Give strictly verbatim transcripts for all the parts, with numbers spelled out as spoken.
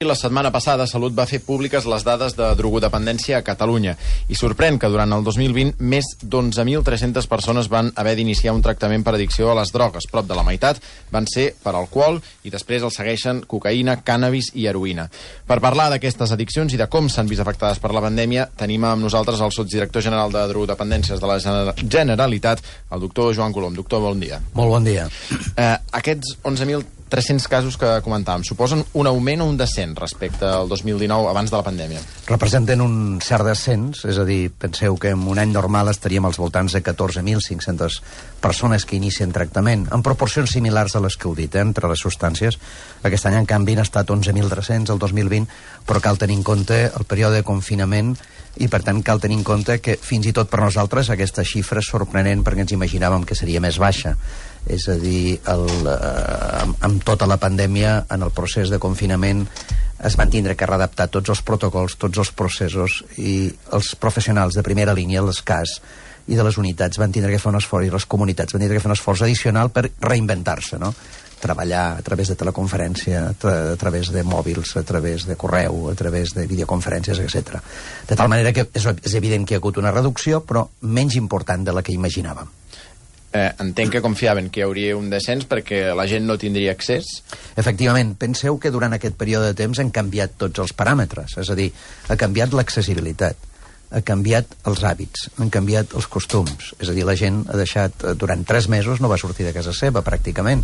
La setmana passada, Salut va fer públiques les dades de drogodependència a Catalunya i sorprèn que durant el dos mil vint més d'onze mil tres-centes persones van haver d'iniciar un tractament per addicció a les drogues. Prop de la meitat van ser per alcohol i després els segueixen cocaïna, cànnabis i heroïna. Per parlar d'aquestes addiccions i de com s'han vist afectades per la pandèmia, tenim amb nosaltres el sotsdirector general de drogodependències de la Generalitat, el doctor Joan Colom. Doctor, bon dia. Molt bon dia. Eh, aquests onze mil tres-cents casos que comentàvem suposen un augment o un descens respecte al dos mil dinou, abans de la pandèmia? Representen un cert descens, és a dir, penseu que en un any normal estaríem als voltants de catorze mil cinc-centes persones que inicien tractament, en proporcions similars a les que heu dit, eh, entre les substàncies. Aquest any, en canvi, han estat onze mil tres-cents el dos mil vint, però cal tenir en compte el període de confinament i, per tant, cal tenir en compte que, fins i tot per nosaltres, aquesta xifra és sorprenent perquè ens imaginàvem que seria més baixa. És a dir, el, eh, amb, amb tota la pandèmia, en el procés de confinament, es van tindre que readaptar tots els protocols, tots els processos, i els professionals de primera línia, els C A S i de les unitats, van tindre que fer un esforç, i les comunitats van tindre que fer un esforç addicional per reinventar-se, no? Treballar a través de teleconferència, a, tra a través de mòbils, a través de correu, a través de videoconferències, etcètera. De tal manera que és, és evident que hi ha hagut una reducció, però menys important de la que imaginàvem. Eh, entenc que confiaven que hi hauria un descens perquè la gent no tindria accés. Efectivament, penseu que durant aquest període de temps han canviat tots els paràmetres, és a dir, ha canviat l'accessibilitat, ha canviat els hàbits, han canviat els costums, és a dir, la gent ha deixat, durant tres mesos no va sortir de casa seva, pràcticament.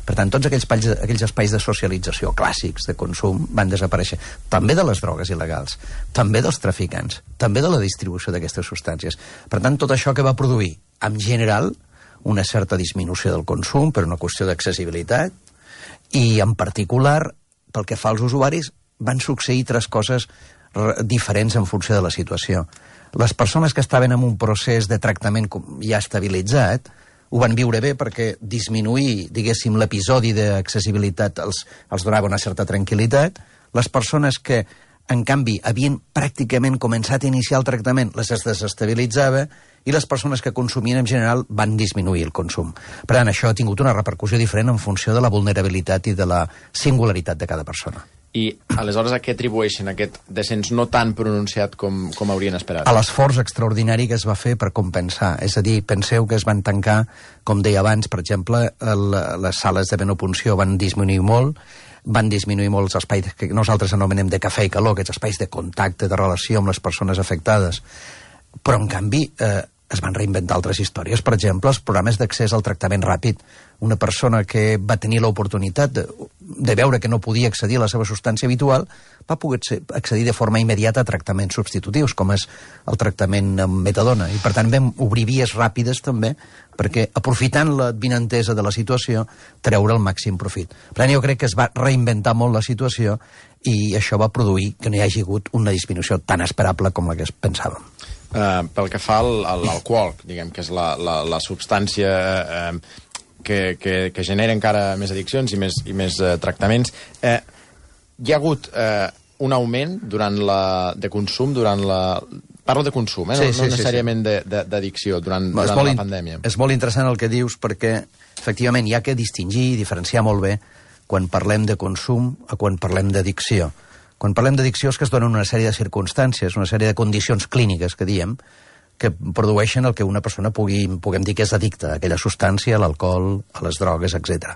Per tant, tots aquells espais, aquells espais de socialització clàssics, de consum, van desaparèixer. També de les drogues il·legals, també dels traficants, també de la distribució d'aquestes substàncies. Per tant, tot això que va produir, en general, una certa disminució del consum per una qüestió d'accessibilitat, i en particular, pel que fa als usuaris, van succeir tres coses diferents en funció de la situació. Les persones que estaven en un procés de tractament ja estabilitzat ho van viure bé perquè disminuir, diguéssim, l'episodi d'accessibilitat els, els donava una certa tranquil·litat. Les persones que, en canvi, havien pràcticament començat a iniciar el tractament, les desestabilitzava, i les persones que consumien en general van disminuir el consum. Per tant, això ha tingut una repercussió diferent en funció de la vulnerabilitat i de la singularitat de cada persona. I aleshores a què atribueixen aquest descens no tan pronunciat com, com haurien esperat? A l'esforç extraordinari que es va fer per compensar. És a dir, penseu que es van tancar, com deia abans, per exemple, el, les sales de menopunció van disminuir molt, van disminuir molt els espais que nosaltres anomenem de cafè i calor, aquests espais de contacte, de relació amb les persones afectades. Però, en canvi, eh, es van reinventar altres històries. Per exemple, els programes d'accés al tractament ràpid. Una persona que va tenir l'oportunitat de, de veure que no podia accedir a la seva substància habitual va poder accedir de forma immediata a tractaments substitutius, com és el tractament amb metadona. I, per tant, vam obrir vies ràpides també perquè, aprofitant l'advinentesa de la situació, treure el màxim profit. Per tant, jo crec que es va reinventar molt la situació i això va produir que no hi hagi hagut una disminució tan esperable com la que es pensàvem. Uh, pel que fa al, a l'alcohol, diguem que és la, la, la substància uh, que, que, que genera encara més addiccions i més, i més uh, tractaments, uh, hi ha hagut uh, un augment durant la, de consum, durant la... Parlo de consum, eh? no, sí, sí, no necessàriament sí, sí. d'addicció durant, no, durant la in, pandèmia. És molt interessant el que dius perquè, efectivament, hi ha que distingir i diferenciar molt bé quan parlem de consum a quan parlem d'addicció. Quan parlem d'addicció és que es donen una sèrie de circumstàncies, una sèrie de condicions clíniques, que diem, que produeixen el que una persona pugui, puguem dir que és addicta a aquella substància, a l'alcohol, a les drogues, etcètera.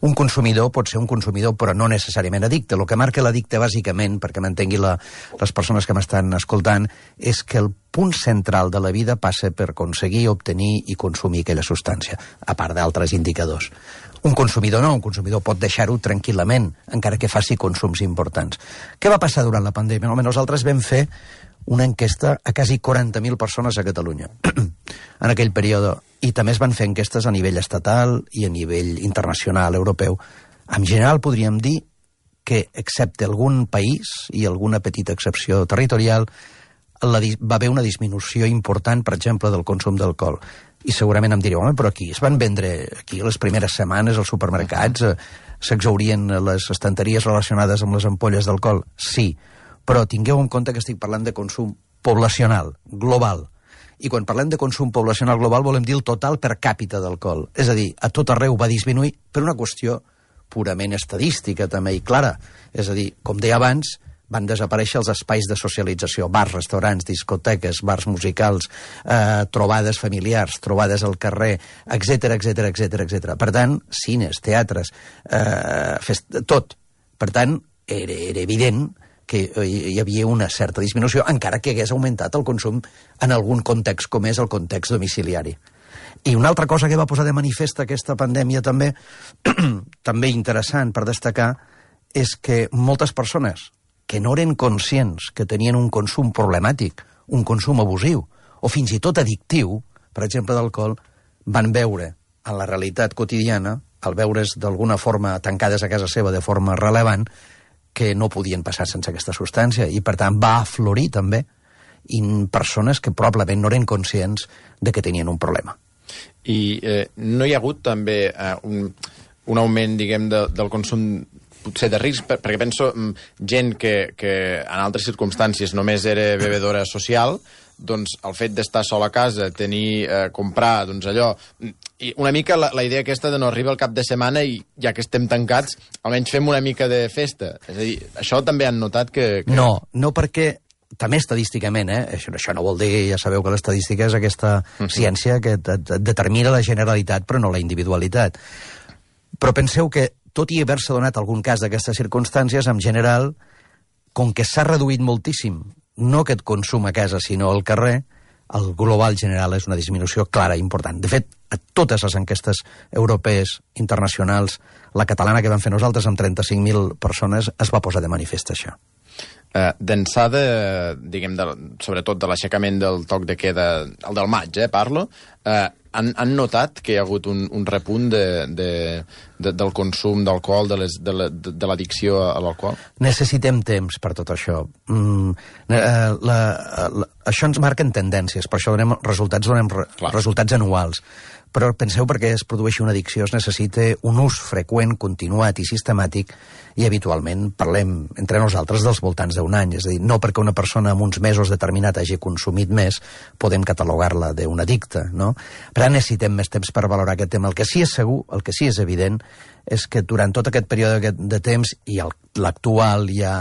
Un consumidor pot ser un consumidor, però no necessàriament addicte. El que marca l'addicte, bàsicament, perquè m'entengui la, les persones que m'estan escoltant, és que el punt central de la vida passa per aconseguir, obtenir i consumir aquella substància, a part d'altres indicadors. Un consumidor no, un consumidor pot deixar-ho tranquil·lament, encara que faci consums importants. Què va passar durant la pandèmia? Home, nosaltres vam fer una enquesta a quasi quaranta mil persones a Catalunya en aquell període, i també es van fer enquestes a nivell estatal i a nivell internacional, europeu. En general podríem dir que, excepte algun país i alguna petita excepció territorial, la, va haver una disminució important, per exemple, del consum d'alcohol. I segurament em direu, home, però aquí es van vendre, aquí les primeres setmanes als supermercats, eh, s'exhaurien les estanteries relacionades amb les ampolles d'alcohol? Sí, però tingueu en compte que estic parlant de consum poblacional, global. I quan parlem de consum poblacional global volem dir el total per càpita d'alcohol. És a dir, a tot arreu va disminuir per una qüestió purament estadística també i clara. És a dir, com deia abans, van desaparèixer els espais de socialització, bars, restaurants, discoteques, bars musicals, eh, trobades familiars, trobades al carrer, etcètera, etcètera, etcètera, etcètera. Per tant, cines, teatres, eh, fest... tot. Per tant, era, era evident que hi havia una certa disminució, encara que hagués augmentat el consum en algun context com és el context domiciliari. I una altra cosa que va posar de manifest aquesta pandèmia també, també interessant per destacar, és que moltes persones que no eren conscients que tenien un consum problemàtic, un consum abusiu, o fins i tot addictiu, per exemple d'alcohol, van veure en la realitat quotidiana, al veure's d'alguna forma tancades a casa seva de forma rellevant, que no podien passar sense aquesta substància, i per tant va aflorir també en persones que probablement no eren conscients de que tenien un problema. I eh, no hi ha hagut també eh, un, un augment, diguem, de, del consum potser de risc, perquè penso gent que, que en altres circumstàncies només era bebedora social, doncs el fet d'estar sol a casa, tenir, eh, comprar, doncs allò... I una mica la, la idea aquesta de no arribar al cap de setmana i ja que estem tancats, almenys fem una mica de festa. És a dir, això també han notat que... que... No, no perquè... També estadísticament, eh? Això, això no vol dir, ja sabeu que l'estadística és aquesta uh-huh. ciència que et, et determina la generalitat però no la individualitat. Però penseu que, tot i haver-se donat algun cas d'aquestes circumstàncies, en general, com que s'ha reduït moltíssim, no aquest consum a casa, sinó al carrer, el global general és una disminució clara i important. De fet, a totes les enquestes europees, internacionals, la catalana que vam fer nosaltres amb trenta-cinc mil persones, es va posar de manifest això. Uh, d'ençada, diguem, de, sobretot de l'aixecament del toc de queda, el del maig, eh, parlo, uh, han, han notat que hi ha hagut un, un repunt de, de, de, del consum d'alcohol, de, les, de, la, de, de l'addicció a l'alcohol? Necessitem temps per tot això. Mm, eh, la, la, això ens marquen tendències, per això donem resultats, donem re, resultats anuals. Però penseu, perquè es produeixi una addicció es necessita un ús freqüent, continuat i sistemàtic, i habitualment parlem entre nosaltres dels voltants d'un any. És a dir, no perquè una persona en uns mesos determinat hagi consumit més podem catalogar-la d'un addicte, no? Però necessitem més temps per valorar aquest tema. El que sí és segur, el que sí és evident, és que durant tot aquest període de temps, i l'actual hi ha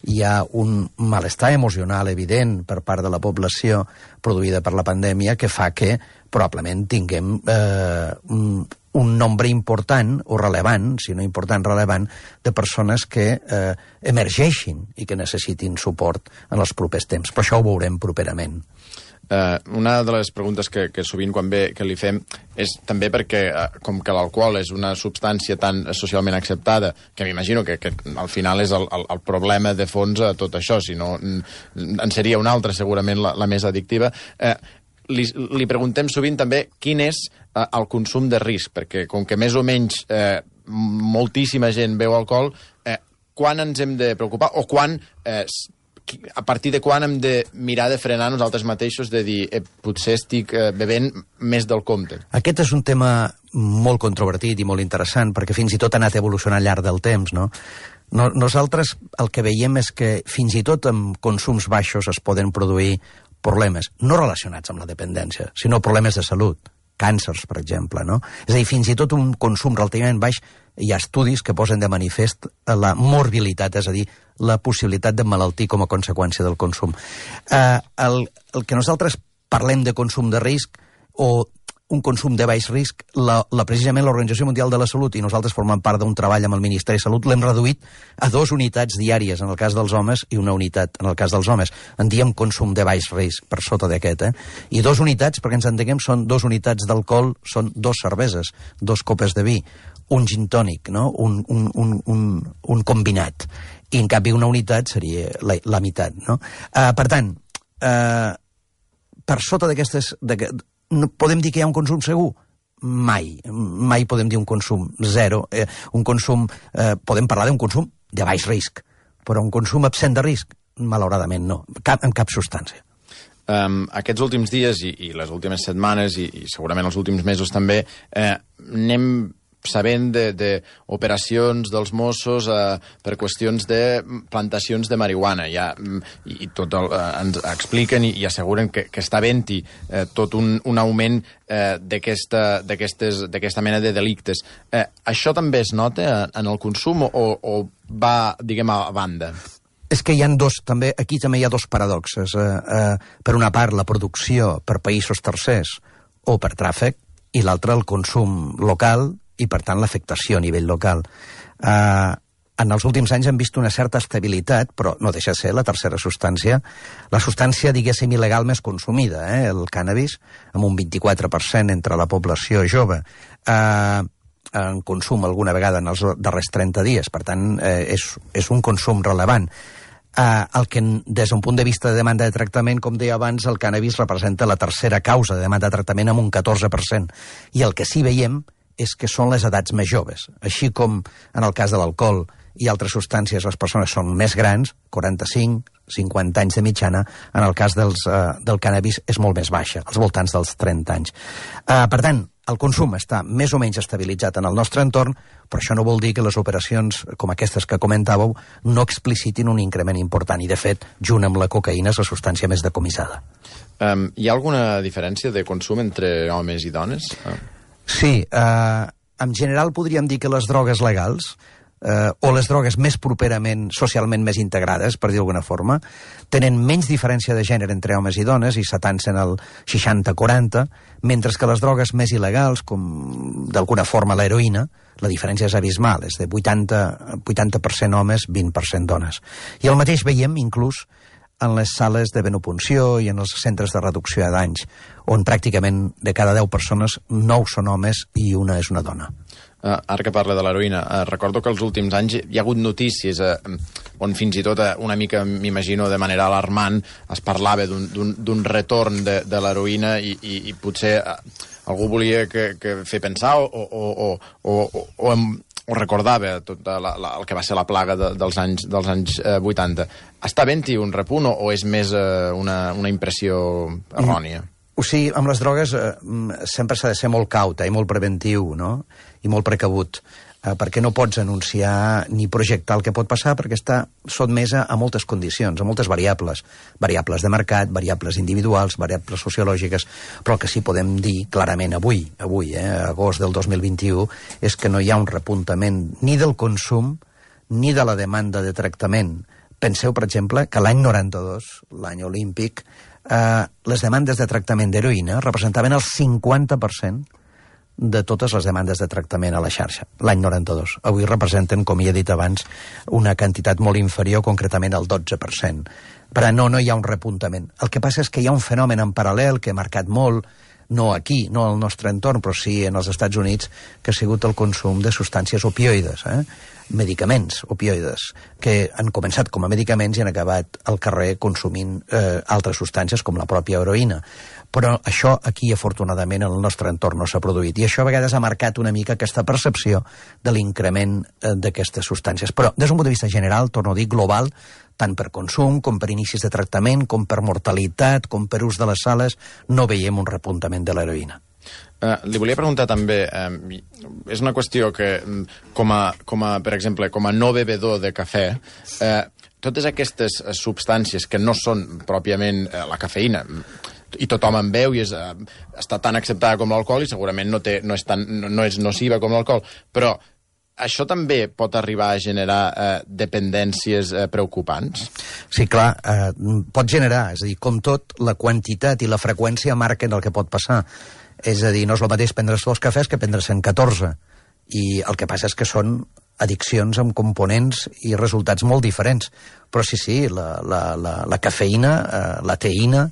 hi ha un malestar emocional evident per part de la població produïda per la pandèmia que fa que probablement tinguem eh, un, un nombre important o relevant, si no important, relevant, de persones que eh, emergeixin i que necessitin suport en els propers temps. Però això ho veurem properament. Uh, una de les preguntes que, que sovint quan ve que li fem és també perquè, uh, com que l'alcohol és una substància tan socialment acceptada, que m'imagino que, que al final és el, el, el problema de fons a tot això, si no en seria una altra segurament la, la més addictiva, uh, li, li preguntem sovint també quin és uh, el consum de risc, perquè com que més o menys uh, moltíssima gent beu alcohol, uh, quan ens hem de preocupar o quan... Uh, a partir de quan hem de mirar de frenar nosaltres mateixos, de dir, eh, potser estic eh, bevent més del compte? Aquest és un tema molt controvertit i molt interessant, perquè fins i tot ha anat evolucionant al llarg del temps, no? no nosaltres el que veiem és que fins i tot amb consums baixos es poden produir problemes, no relacionats amb la dependència, sinó problemes de salut, càncers, per exemple, no? És a dir, fins i tot un consum relativament baix, hi ha estudis que posen de manifest la morbilitat, és a dir, la possibilitat de malaltir com a conseqüència del consum. Eh, el, el que nosaltres parlem de consum de risc o un consum de baix risc, la, la, precisament l'Organització Mundial de la Salut, i nosaltres formem part d'un treball amb el Ministeri de Salut, l'hem reduït a dues unitats diàries en el cas dels homes i una unitat en el cas dels homes. En diem consum de baix risc, per sota d'aquest, eh? I dos unitats, perquè ens entenguem, són dos unitats d'alcohol, són dos cerveses, dos copes de vi, un gin tònic, no? un, un, un, un, un combinat. I en canvi una unitat seria la, la meitat, no? Uh, per tant, uh, per sota d'aquestes... No podem dir que hi ha un consum segur? Mai. Mai podem dir un consum zero. Eh, un consum, eh, podem parlar d'un consum de baix risc, però un consum absent de risc, malauradament no, cap, en cap substància. Um, aquests últims dies i, i les últimes setmanes i, i segurament els últims mesos també, eh, n'hem sabent d'operacions de, dels Mossos eh, per qüestions de plantacions de marihuana. Ja, i, i tot el, eh, ens expliquen i, i asseguren que, que està havent-hi eh, tot un, un augment eh, d'aquesta mena de delictes. Eh, això també es nota en el consum o, o va, diguem, a banda? És que hi ha dos, també, aquí també hi ha dos paradoxes. Eh, eh, per una part, la producció per països tercers o per tràfic, i l'altre, el consum local i, per tant, l'afectació a nivell local. Eh, en els últims anys hem vist una certa estabilitat, però no deixa de ser la tercera substància, la substància, diguéssim, il·legal més consumida, eh, el cànnabis, amb un vint-i-quatre per cent entre la població jove, eh, en consum alguna vegada en els darrers trenta dies, per tant, eh, és, és un consum relevant. Uh, el que, des d'un punt de vista de demanda de tractament, com deia abans, el cànnabis representa la tercera causa de demanda de tractament amb un catorze per cent. I el que sí veiem és que són les edats més joves. Així com en el cas de l'alcohol i altres substàncies les persones són més grans, quaranta-cinc, cinquanta anys de mitjana, en el cas dels, uh, del cànnabis és molt més baixa, als voltants dels trenta anys. Uh, per tant, el consum està més o menys estabilitzat en el nostre entorn, però això no vol dir que les operacions com aquestes que comentàveu no explicitin un increment important. I, de fet, junt amb la cocaïna és la substància més decomissada. Um, hi ha alguna diferència de consum entre homes i dones? Uh. Sí. Uh, en general podríem dir que les drogues legals, eh, o les drogues més properament, socialment més integrades, per dir d'alguna forma, tenen menys diferència de gènere entre homes i dones i s'atancen al seixanta quaranta, mentre que les drogues més il·legals, com d'alguna forma l'heroïna, la diferència és abismal, és de vuitanta per cent homes, vint per cent dones. I el mateix veiem inclús en les sales de venopunció i en els centres de reducció de danys, on pràcticament de cada deu persones, nou són homes i una és una dona. Uh, ara que parla de l'heroïna, uh, recordo que els últims anys hi ha hagut notícies uh, on fins i tot uh, una mica, m'imagino, de manera alarmant, es parlava d'un retorn de, de l'heroïna i, i, i potser uh, algú volia que, que fer pensar o, o, o, o, o, o, o recordava tot la, la, el que va ser la plaga de, dels anys, dels anys eh, vuitanta. Està havent-hi un repunt o, o és més eh, una, una impressió errònia? Mm. O sigui, amb les drogues eh, sempre s'ha de ser molt caut eh, i molt preventiu, no? I molt precabut, eh, perquè no pots anunciar ni projectar el que pot passar, perquè està sotmesa a moltes condicions, a moltes variables. Variables de mercat, variables individuals, variables sociològiques, però el que sí podem dir clarament avui, avui, eh, agost del dos mil vint-i-u, és que no hi ha un repuntament ni del consum ni de la demanda de tractament. Penseu, per exemple, que l'any noranta-dos, l'any olímpic, eh, les demandes de tractament d'heroïna representaven el cinquanta per cent de totes les demandes de tractament a la xarxa, l'any noranta-dos. Avui representen, com ja he dit abans, una quantitat molt inferior, concretament el dotze per cent. Però no, no hi ha un repuntament. El que passa és que hi ha un fenomen en paral·lel que ha marcat molt, no aquí, no al nostre entorn, però sí en els Estats Units, que ha sigut el consum de substàncies opioides, eh? medicaments opioides, que han començat com a medicaments i han acabat al carrer consumint eh, altres substàncies com la pròpia heroïna. Però això aquí, afortunadament, en el nostre entorn no s'ha produït. I això a vegades ha marcat una mica aquesta percepció de l'increment eh, d'aquestes substàncies. Però, des d'un punt de vista general, torno a dir, global, tant per consum, com per inicis de tractament, com per mortalitat, com per ús de les sales, no veiem un repuntament de l'heroïna. Uh, li volia preguntar també, uh, és una qüestió que, com a, com a, per exemple, com a no bevedor de cafè, uh, totes aquestes substàncies que no són pròpiament uh, la cafeïna, i tothom en veu i és, uh, està tan acceptada com l'alcohol i segurament no, té, no, és tan, no, no és nociva com l'alcohol, però això també pot arribar a generar eh, dependències eh, preocupants? Sí, clar, eh, pot generar, és a dir, com tot, la quantitat i la freqüència marquen el que pot passar. És a dir, no és el mateix prendre's dos cafès que prendre's-en catorze. I el que passa és que són addiccions amb components i resultats molt diferents. Però sí, sí, la, la, la, la cafeïna, eh, la teïna,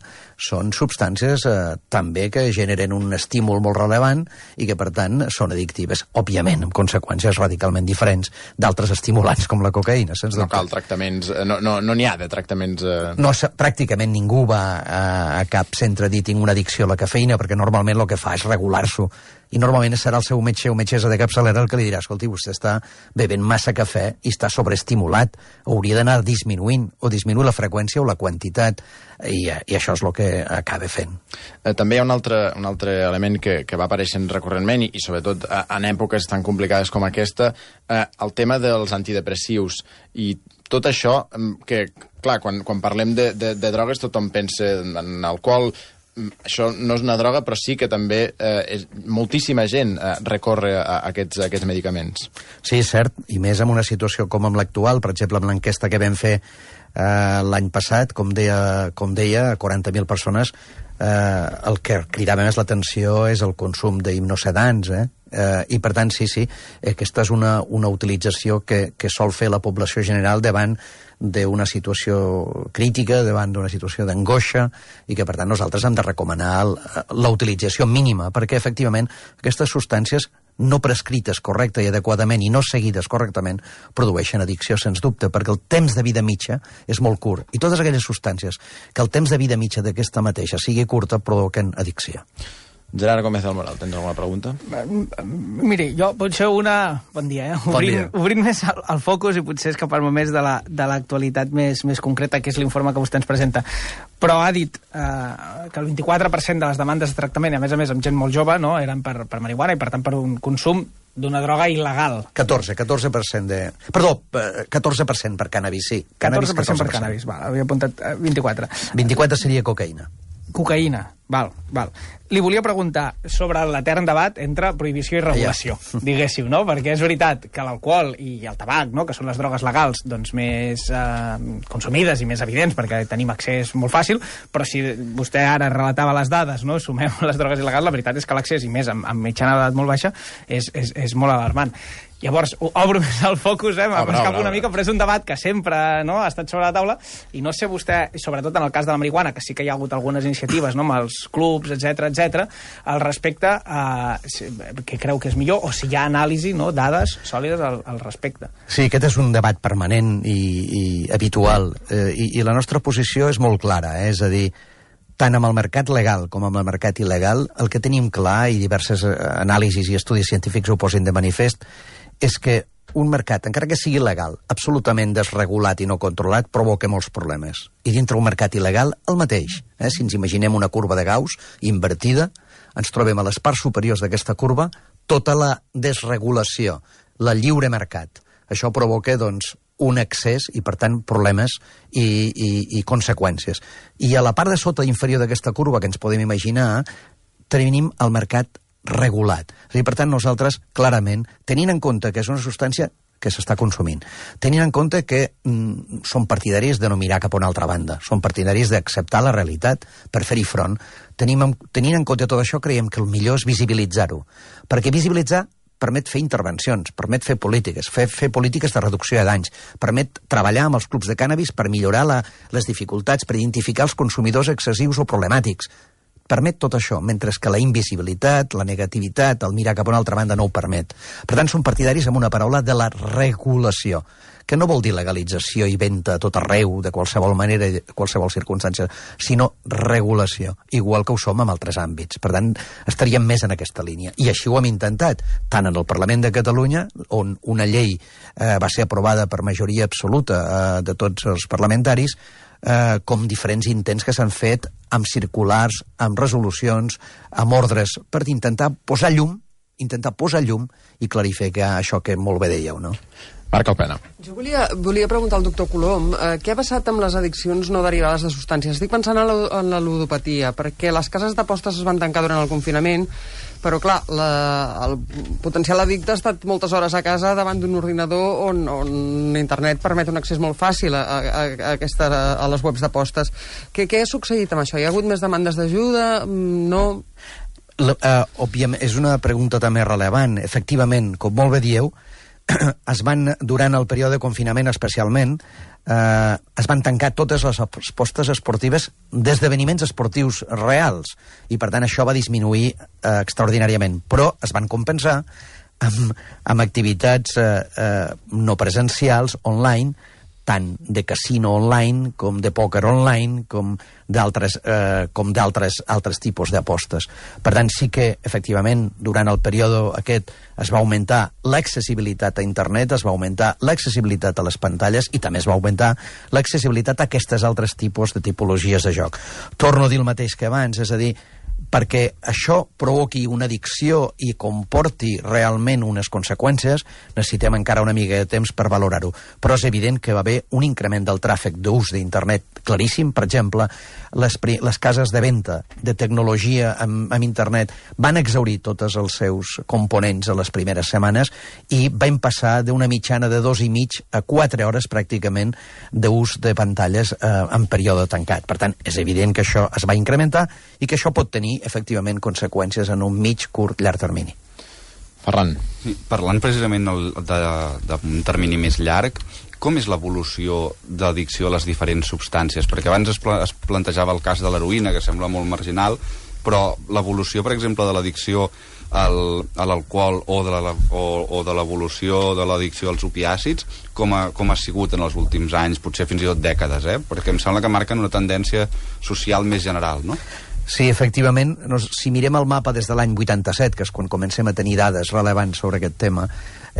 són substàncies eh, també que generen un estímul molt relevant i que, per tant, són addictives, òbviament, amb conseqüències radicalment diferents d'altres estimulants com la cocaïna. Sens no cal tractaments, no n'hi no, no ha de tractaments... Eh... No, pràcticament ningú va a, a cap centre a dir tinc una addicció a la cafeïna, perquè normalment el que fa és regular-s'ho. I normalment serà el seu metge o metgessa de capçalera el que li dirà, escolti, vostè està bevent massa cafè i està sobreestimulat, hauria d'anar disminuint disminuint, o disminuir la freqüència o la quantitat, i, i això és el que acaba fent. Eh, també hi ha un altre, un altre element que, que va apareixent recurrentment, i, i sobretot eh, en èpoques tan complicades com aquesta, eh, el tema dels antidepressius, i tot això, que, clar, quan, quan parlem de, de, de drogues tothom pensa en alcohol. Això no és una droga, però sí que també eh, és, moltíssima gent eh, recorre a, a, aquests, a aquests medicaments. Sí, és cert, i més en una situació com amb l'actual, per exemple, amb l'enquesta que vam fer eh, l'any passat, com deia, com deia quaranta mil persones, eh, el que cridava més l'atenció és el consum d'hipnosedants, eh? Eh, i per tant, sí, sí, aquesta és una, una utilització que, que sol fer la població general davant d'una situació crítica, davant d'una situació d'angoixa, i que per tant nosaltres hem de recomanar la utilització mínima, perquè efectivament aquestes substàncies no prescrites correcta i adequadament i no seguides correctament produeixen addicció, sens dubte, perquè el temps de vida mitja és molt curt, i totes aquelles substàncies que el temps de vida mitja d'aquesta mateixa sigui curta provoquen addicció. Gerard Gómez del Moral, tens alguna pregunta? Miri, jo potser una... Bon dia, eh? Bon Obrint, dia. obrint més el, el focus i potser escapar-me més de la, de l'actualitat més, més concreta, que és l'informe que vostè ens presenta. Però ha dit eh, que el vint-i-quatre per cent de les demandes de tractament, i a més a més amb gent molt jove, no, eren per, per marihuana i per tant per un consum d'una droga il·legal. catorze, catorze per cent de... Perdó, catorze per cent per cànnabis, sí. catorze per cent per cànnabis, val, havia apuntat eh, vint-i-quatre. vint-i-quatre seria cocaïna. Cocaïna, val, val. Li volia preguntar sobre l'etern debat entre prohibició i regulació, ja. diguéssiu, no? Perquè és veritat que l'alcohol i el tabac, no?, que són les drogues legals doncs, més eh, consumides i més evidents, perquè tenim accés molt fàcil, però si vostè ara relatava les dades, no?, sumem les drogues il·legals, la veritat és que l'accés, i més amb, amb mitjana d'edat molt baixa, és, és, és molt alarmant. Llavors, obro més el focus, eh? m'escapo una mica, però és un debat que sempre, no?, ha estat sobre la taula, i no sé vostè, sobretot en el cas de la marihuana, que sí que hi ha hagut algunes iniciatives, no?, amb els clubs, etcètera, etcètera, al respecte, eh, que creu que és millor, o si hi ha anàlisi, no?, dades sòlides al, al respecte. Sí, aquest és un debat permanent i, i habitual, eh, i, i la nostra posició és molt clara, eh? És a dir, tant amb el mercat legal com amb el mercat il·legal, el que tenim clar, i diverses anàlisis i estudis científics ho posin de manifest, és que un mercat, encara que sigui legal, absolutament desregulat i no controlat, provoca molts problemes. I dintre un mercat il·legal, el mateix. Eh? Si ens imaginem una curva de Gauss invertida, ens trobem a les parts superiors d'aquesta curva tota la desregulació, la lliure mercat. Això provoca, doncs, un excés i, per tant, problemes i, i, i conseqüències. I a la part de sota inferior d'aquesta curva que ens podem imaginar, tenim el mercat regulat. És a dir, per tant, nosaltres, clarament, tenint en compte que és una substància que s'està consumint, tenint en compte que mm, són partidaris de no mirar cap a una altra banda, són partidaris d'acceptar la realitat per fer-hi front, tenim, tenint en compte tot això, creiem que el millor és visibilitzar-ho, perquè visibilitzar permet fer intervencions, permet fer polítiques, fer, fer polítiques de reducció de danys, permet treballar amb els clubs de cànnabis per millorar la, les dificultats, per identificar els consumidors excessius o problemàtics. Permet tot això, mentre que la invisibilitat, la negativitat, el mirar cap a una altra banda no ho permet. Per tant, són partidaris amb una paraula de la regulació, que no vol dir legalització i venda a tot arreu, de qualsevol manera i de qualsevol circumstància, sinó regulació, igual que ho som en altres àmbits. Per tant, estaríem més en aquesta línia. I així ho hem intentat, tant en el Parlament de Catalunya, on una llei eh, va ser aprovada per majoria absoluta eh, de tots els parlamentaris, eh, com diferents intents que s'han fet amb circulars, amb resolucions, amb ordres, per intentar posar llum, intentar posar llum i clarificar això que molt bé dèieu, no? Marc Alpena. Jo volia, volia preguntar al doctor Colom eh, què ha passat amb les addiccions no derivades de substàncies. Estic pensant en la, en la ludopatia, perquè les cases d'apostes es van tancar durant el confinament, però clar, la, el potencial addicte ha estat moltes hores a casa davant d'un ordinador on, on internet permet un accés molt fàcil a, a, a, aquesta, a les webs d'apostes. Què, què ha succeït amb això? Hi ha hagut més demandes d'ajuda? No? La, uh, òbviament, és una pregunta també rellevant. Efectivament, com molt bé dieu, es van, durant el període de confinament especialment, eh, es van tancar totes les apostes esportives d'esdeveniments esportius reals, i per tant això va disminuir eh, extraordinàriament, però es van compensar amb, amb activitats eh, eh, no presencials, online, tant de casino online com de pòquer online com d'altres eh, com d'altres altres tipus d'apostes. Per tant, sí que, efectivament, durant el període aquest es va augmentar l'accessibilitat a internet, es va augmentar l'accessibilitat a les pantalles i també es va augmentar l'accessibilitat a aquestes altres tipus de tipologies de joc. Torno a dir el mateix que abans, és a dir, perquè això provoqui una addicció i comporti realment unes conseqüències, necessitem encara una mica de temps per valorar-ho. Però és evident que va haver un increment del tràfic d'ús d'internet claríssim. Per exemple, les, les cases de venda de tecnologia amb, amb internet van exhaurir tots els seus components a les primeres setmanes i van passar d'una mitjana de dos i mig a quatre hores pràcticament d'ús de pantalles eh, en període tancat. Per tant, és evident que això es va incrementar i que això pot tenir efectivament conseqüències en un mig, curt, llarg termini. Ferran. Sí, parlant precisament d'un termini més llarg, com és l'evolució d'addicció a les diferents substàncies? Perquè abans es, pla es plantejava el cas de l'heroïna, que sembla molt marginal, però l'evolució, per exemple, de l'addicció al, a l'alcohol o de la, o, o de l'evolució de l'addicció als opiàcids, com ha, com ha sigut en els últims anys, potser fins i tot dècades, eh? Perquè em sembla que marquen una tendència social més general, no? Sí, efectivament, si mirem el mapa des de l'any vuitanta-set, que és quan comencem a tenir dades rellevants sobre aquest tema,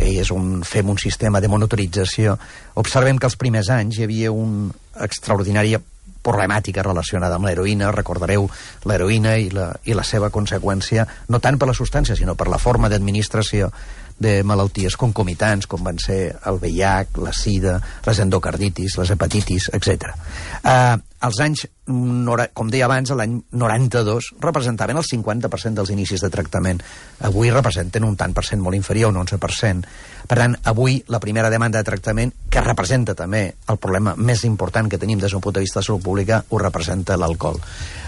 i és on fem un sistema de monitorització, observem que els primers anys hi havia una extraordinària problemàtica relacionada amb l'heroïna. Recordareu l'heroïna i, la, i la seva conseqüència, no tant per la substància, sinó per la forma d'administració de malalties concomitants, com van ser el V I H, la sida, les endocarditis, les hepatitis, etcètera. Eh, els anys, com deia abans, l'any noranta-dos, representaven el cinquanta per cent dels inicis de tractament. Avui representen un tant per cent molt inferior, un onze per cent. Per tant, avui la primera demanda de tractament, que representa també el problema més important que tenim des d'un punt de vista de salut pública, ho representa l'alcohol.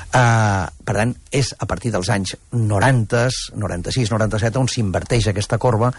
Uh, per tant, és a partir dels anys noranta, noranta-sis, noranta-set on s'inverteix aquesta corba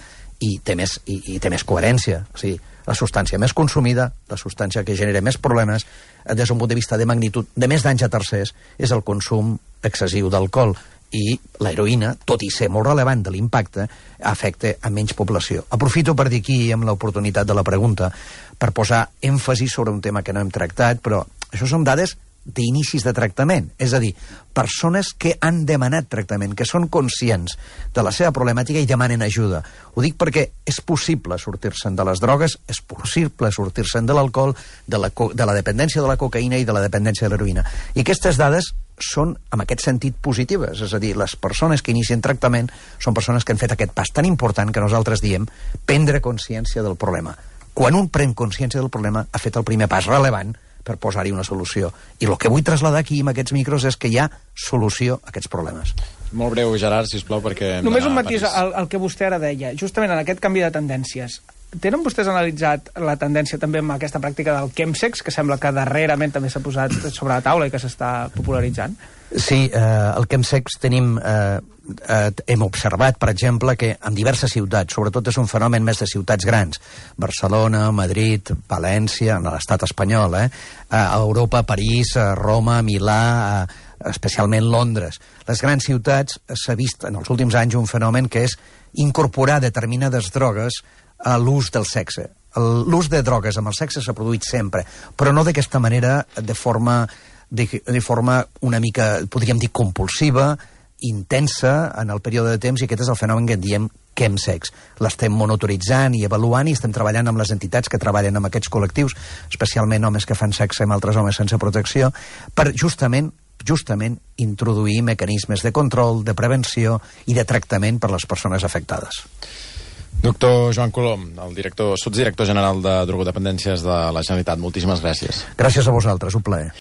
i té més, i, i té més coherència. O sigui, la substància més consumida, la substància que genera més problemes des d'un punt de vista de magnitud, de més danys a tercers, és el consum excessiu d'alcohol. I l'heroïna, tot i ser molt rellevant de l'impacte, afecta a menys població. Aprofito per dir aquí, amb l'oportunitat de la pregunta, per posar èmfasi sobre un tema que no hem tractat, però això són dades d'inicis de tractament, és a dir, persones que han demanat tractament, que són conscients de la seva problemàtica i demanen ajuda. Ho dic perquè és possible sortir-se'n de les drogues, és possible sortir-se'n de l'alcohol, de, la de la dependència de la cocaïna i de la dependència de l'heroïna. I aquestes dades són, en aquest sentit, positives. És a dir, les persones que inicien tractament són persones que han fet aquest pas tan important que nosaltres diem prendre consciència del problema. Quan un pren consciència del problema, ha fet el primer pas rellevant per posar-hi una solució. I el que vull traslladar aquí amb aquests micros és que hi ha solució a aquests problemes. Molt breu, Gerard, sisplau, perquè... Només un matís al, al que vostè ara deia. Justament en aquest canvi de tendències, tenen vostès analitzat la tendència també amb aquesta pràctica del chemsex, que sembla que darrerament també s'ha posat sobre la taula i que s'està popularitzant? Sí, eh, el chemsex tenim... Eh, eh, hem observat, per exemple, que en diverses ciutats, sobretot és un fenomen més de ciutats grans, Barcelona, Madrid, València, en l'estat espanyol, eh, a Europa, París, a Roma, Milà, a, especialment Londres. Les grans ciutats s'ha vist en els últims anys un fenomen que és incorporar determinades drogues a l'ús del sexe. L'ús de drogues amb el sexe s'ha produït sempre, però no d'aquesta manera, de forma, de, de forma una mica, podríem dir, compulsiva, intensa en el període de temps, i aquest és el fenomen que en diem chemsex. L'estem monitoritzant i avaluant i estem treballant amb les entitats que treballen amb aquests col·lectius, especialment homes que fan sexe amb altres homes sense protecció, per justament justament introduir mecanismes de control, de prevenció i de tractament per a les persones afectades. Doctor Joan Colom, el director, sotsdirector general de drogodependències de la Generalitat, moltíssimes gràcies. Gràcies a vosaltres, un plaer.